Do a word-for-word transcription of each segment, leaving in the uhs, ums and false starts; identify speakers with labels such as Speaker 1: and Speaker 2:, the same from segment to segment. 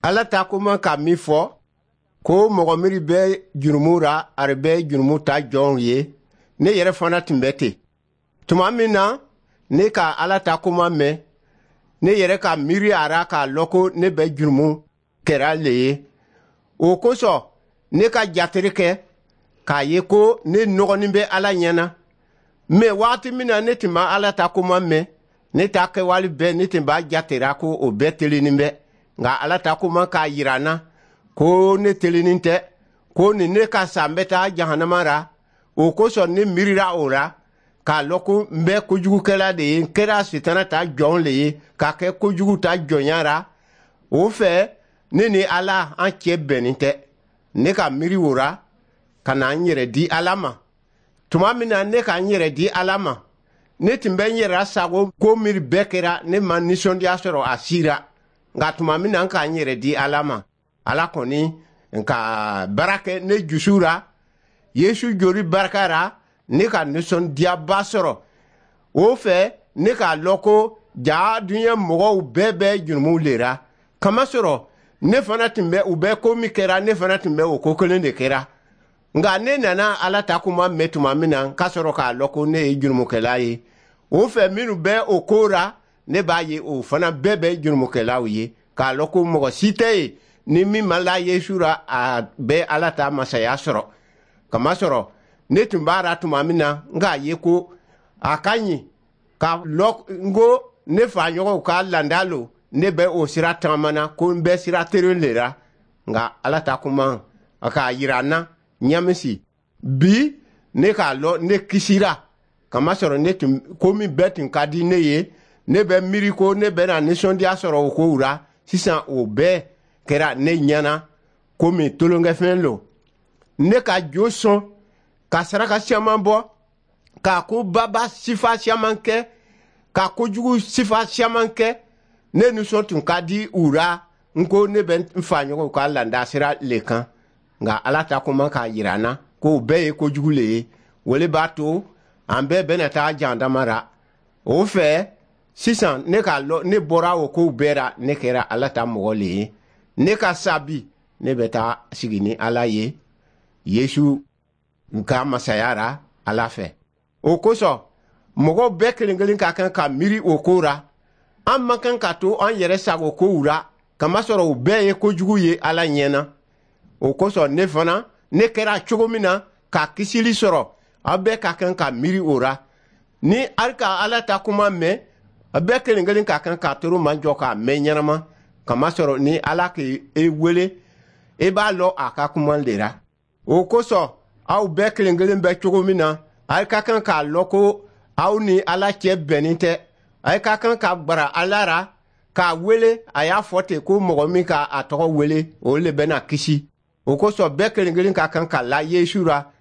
Speaker 1: Ala ta kuma ka min fɔ ko mɔgɔ minnu bɛ jurumu ra, ari bɛ jurumu ta jɔnw ye, ne yɛrɛ fana tun bɛ ten. Tuma min na ne ka Ala ta kuma mɛn, ne yɛrɛ ka miiri a ra k'a lɔn ko ne bɛ jurumu kɛra le ye. O kosɔn ne ka jateri kɛ k'a ye ko ne nɔgɔnin bɛ Ala ɲɛ na. Mɛ waati min na ne tun ma Ala ta kuma mɛn, ne ta kɛwale bɛɛ, ne tun b'a jatera ko o bɛɛ telennin bɛ. Nka Ala ta kuma k'a yira n na ko ne telennin tɛ, ko ni ne ka sa, n bɛ taa jahanama ra. O kosɔn ne miirira o la k'a lɔn ko n bɛ kojugukɛla de ye, n kɛra Sitana ta jɔn le ye, ka kɛ kojugu ta jɔnya ra. O fɛ ne ni Ala an cɛ bɛnnin tɛ. Ne ka miiri o ra ka na n yɛrɛ di Ala ma. Tuma min na ne ka n yɛrɛ di Ala ma, ne tun bɛ n yɛrɛ sago ko miiri bɛɛ kɛra, ne ma nisɔndiya sɔrɔ a si ra. Nka tuma min na n ka n yɛrɛ di Ala ma, Ala kɔni ka baara kɛ ne jusu ra. Yesu joli barika ra, ne ka nisɔndiyaba sɔrɔ. O fɛ ne k'a lɔn ko ja diɲɛ mɔgɔw bɛɛ bɛ jurumuw le ra, kamasɔrɔ ne fana tun bɛ u bɛ ko min kɛra, ne fana tun bɛ o ko kelen de kɛra. Nka ne nana Ala ta kuma mɛn tuma min na, ka sɔrɔ k'a lɔn ko ne ye jurumukɛla ye, o fɛ minnu bɛ o ko ra, ne b'a ye o fana bɛɛ bɛ jurumukɛlaw ye, k'a lɔn ko mɔgɔ si tɛ yen ni min ma la Yesu ra, a bɛ Ala ta masaya sɔrɔ. Kamasɔrɔ ne tun b'a ra tuma min na, n k'a ye ko a ka ɲi ka lɔ n ko ne faɲɔgɔnw ka landa lo, ne bɛ o sira tagamana, ko n bɛ sira tere le ra. Nka Ala ta kuma a k'a yira n na ɲamisi bi, ne k'a lɔn ne kisira, kamasɔrɔ ne tun ko min bɛɛ tun ka di ne ye, ne bɛ miiri ko ne bɛna nisɔndiya sɔrɔ o kow ra, sisan o bɛɛ kɛra ne ɲɛna komi tolonkɛfɛn lo. Ne ka jo sɔn ka saraka caman bɔ, k'a ko baba sifa caman kɛ, ka kojugu sifa caman kɛ, ne nisɔn tun ka di u ra, n ko ne bɛ n faɲɔgɔnw ka landa sira le kan. Nka Ala ta kuma k'a yira n na k'o bɛɛ ye kojugu le ye, o le b'a to an bɛɛ bɛna taa jandama ra. O fɛ sisan ne k'a lɔn ne bɔra o kow bɛɛ ra, ne kɛra Ala ta mɔgɔ le ye. Ne ka sa bi, ne bɛ taa sigi ni Ala ye Yesu ka masaya ra Ala fɛ. O kosɔn mɔgɔw bɛɛ kelen kelen ka kan ka miiri o ko ra. An man kan ka to an yɛrɛ sago kow ra, kamasɔrɔ o bɛɛ ye kojugu ye Ala ɲɛ na. O kosɔn ne fana, ne kɛra cogo min na ka kisili sɔrɔ, aw bɛɛ ka kan ka miiri o ra. Ni hali ka Ala ta kuma mɛn, a bɛɛ kelen kelen ka kan k'a toro majɔ k'a mɛn ɲɛnama, kamasɔrɔ ni Ala k'e wele, e b'a lɔn a ka kuma le ra. O kosɔn aw bɛɛ kelen kelen bɛ cogo min na, aw ka kan k'a lɔn ko aw ni Ala cɛ bɛnnin tɛ. A ka kan ka gbara Ala ra k'a wele. A y'a fɔ ten ko mɔgɔ min ka a tɔgɔ wele, o le bɛna kisi. O kosɔn bɛɛ kelen kelen ka kan ka la Yesu ra.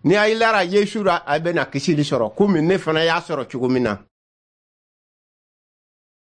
Speaker 1: Ni a lara Yesu ra, a bɛna kisili sɔrɔ komi ne fana y'a sɔrɔ cogo min na.